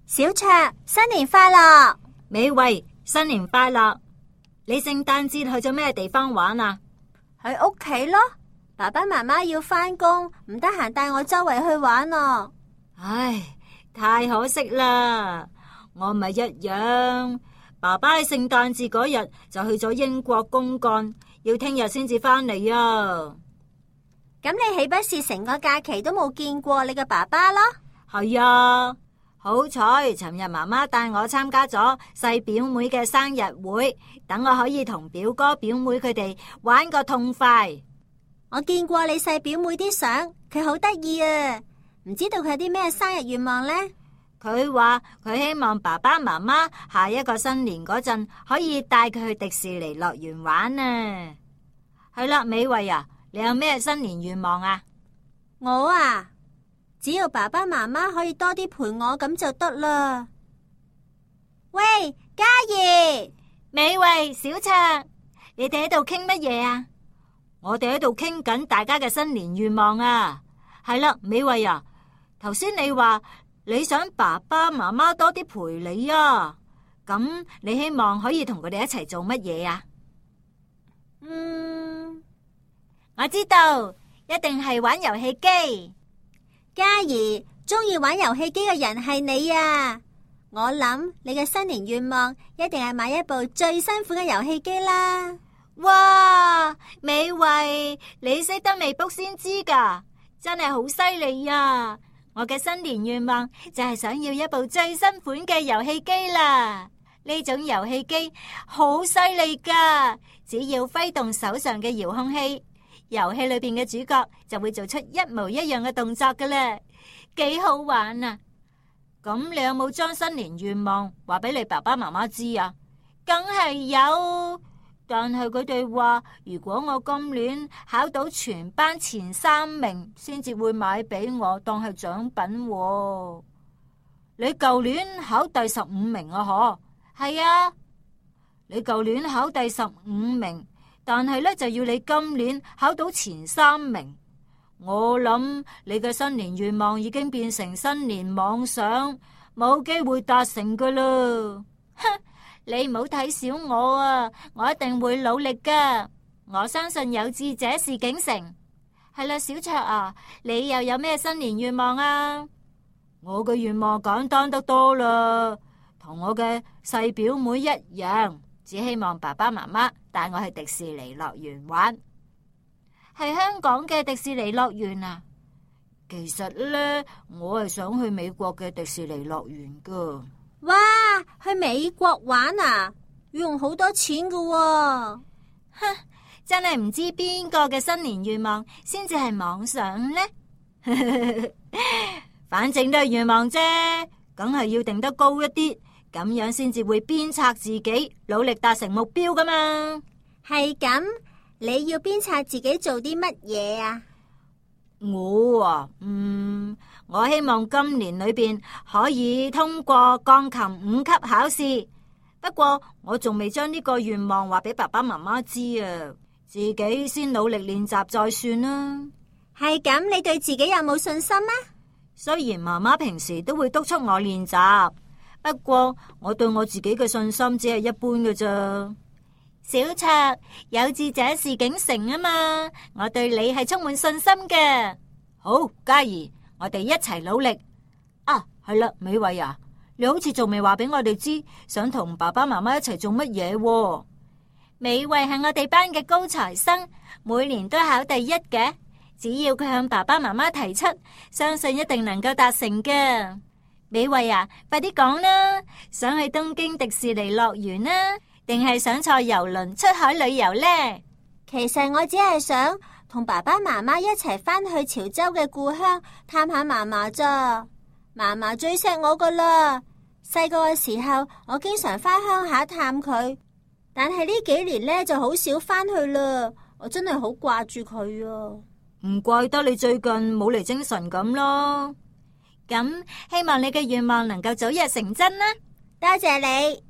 小卓，新年快樂！美慧，新年快樂！你聖誕節去咗咩地方玩啊？喺屋企咯，爸爸媽媽要返工，唔得閒帶我周圍去玩啊。唉，太可惜啦！我咪一樣，爸爸喺聖誕節嗰日就去咗英國公幹，要聽日先至返嚟啊。咁你豈不是成個假期都冇見過你嘅爸爸咯？係啊，好彩尋日媽媽帶我參加咗細表妹嘅生日會，等我可以同表哥表妹佢哋玩個痛快。我見過你細表妹啲相，佢好得意啊！唔知道佢有啲咩生日願望呢？佢話佢希望爸爸媽媽下一個新年嗰陣可以帶佢去迪士尼樂園玩啊。係啦，美慧啊，你有咩新年願望啊？我啊，只要爸爸媽媽可以多啲陪我咁就得啦。喂，嘉怡、美慧、小卓，你哋喺度傾乜嘢啊？我哋喺度傾緊大家嘅新年願望啊。係啦，美慧啊，頭先你話你想爸爸媽媽多啲陪你啊，咁你希望可以同佢哋一齊做乜嘢啊？我知道，一定係玩遊戲機。嘉怡，中意玩遊戲機嘅人係你啊！我諗你嘅新年願望一定係買一部最新款嘅遊戲機啦。哇，美慧，你識得未卜先知㗎，真係好犀利啊！我嘅新年願望就係想要一部最新款嘅遊戲機啦。呢種遊戲機好犀利㗎，只要揮動手上嘅遙控器，遊戲裏邊嘅主角就會做出一模一樣嘅動作㗎啦，幾好玩啊！咁你有冇將新年願望話俾你爸爸媽媽知啊？梗係有，但係佢哋話如果我今年考到全班前3名，先至會買俾我當係獎品喎。你舊年考第15名啊？嗬，係啊，你舊年考第15名。但係咧，就要你今年考到前3名。我諗你嘅新年願望已經變成新年妄想，冇機會達成噶啦。哼，你唔好睇小我啊！我一定會努力噶。我相信有志者事竟成。係啦，小卓啊，你又有咩新年願望啊？我嘅願望簡單得多啦，同我嘅細表妹一樣。只希望爸爸媽媽帶我去迪士尼樂園玩，係香港嘅迪士尼樂園啊。其實呢，我係想去美國嘅迪士尼樂園噶。哇，去美國玩啊，要用好多錢噶喎。哼，真係唔知邊個嘅新年願望先至係妄想呢。反正都係願望啫，梗係要定得高一啲。咁樣先至會鞭策自己，努力達成目標噶嘛。係咁，你要鞭策自己做啲乜嘢啊？我希望今年裏邊可以通過鋼琴5級考試。不過我仲未將呢個願望話俾爸爸媽媽知啊，自己先努力練習再算啦。係咁，你對自己有冇信心啊？雖然媽媽平時都會督促我練習。不過我對我自己嘅信心只係一般嘅咋。小卓，有志者事竟成啊嘛，我對你係充滿信心嘅。好，嘉怡，我哋一齊努力啊！係啦，美慧啊，你好似仲未話俾我哋知，想同爸爸媽媽一齊做乜嘢喎？美慧係我哋班嘅高材生，每年都考第1嘅，只要佢向爸爸媽媽提出，相信一定能夠達成嘅。美慧啊，快啲講啦！想去東京迪士尼樂園啊，定係想坐郵輪出海旅遊呢？其實我只係想同爸爸媽媽一齊返去潮州嘅故鄉探下嫲嫲咋。嫲嫲最錫我噶啦，細個嘅時候我經常返鄉下探佢，但係呢幾年呢就好少返去啦。我真係好掛住佢啊！唔怪得你最近冇嚟精神咁咯。咁希望你嘅願望能夠早日成真啦！多謝你。